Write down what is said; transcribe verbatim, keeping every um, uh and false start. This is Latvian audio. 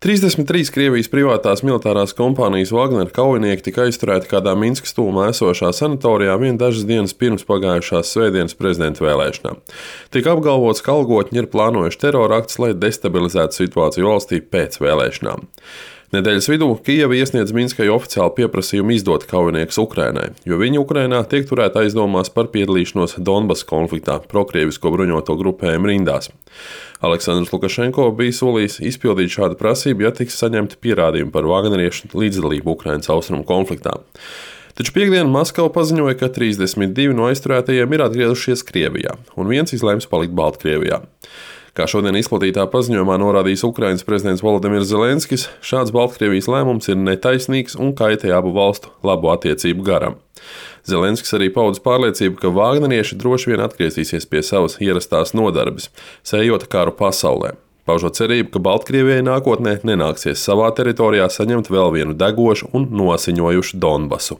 trīsdesmit trīs Krievijas privātās militārās kompānijas Wagner kaujinieki tika aizturēti kādā Minskas tuvumā esošā sanatorijā vien dažas dienas pirms pagājušās svētdienas prezidenta vēlēšanām. Tika apgalvots, ka algotņi ir plānojuši teroraktus, lai destabilizētu situāciju valstī pēc vēlēšanām. Nedēļas vidū Kijeva iesniedz Minskai oficiālu pieprasījumu izdot kaujiniekus Ukrainai, jo viņi Ukrainā tiek turēti aizdomās par piedalīšanos Donbasa konfliktā prokrievisko bruņoto grupējumu rindās. Aleksandrs Lukašenko bija solījis izpildīt šādu prasību, ja tiks saņemti pierādījumi par vagneriešu līdzdalību Ukrainas austrumu konfliktā. Taču piekdien Maskava paziņoja, ka trīsdesmit divi no aizturētajiem ir atgriezušies Krievijā, un viens izlēms palikt Baltkrievijā. Kā šodien izplatītā paziņojumā norādījis Ukrainas prezidents Volodimirs Zelenskis, šāds Baltkrievijas lēmums ir netaisnīgs un kaitē abu valstu labu attiecību garam. Zelenskis arī paudis pārliecību, ka vāgnerieši droši vien atgriezīsies pie savas ierastās nodarbes, sējot karu pasaulē. Paužot cerību, ka Baltkrievijai nākotnē nenāksies savā teritorijā saņemt vēl vienu degošu un nosiņojušu Donbasu.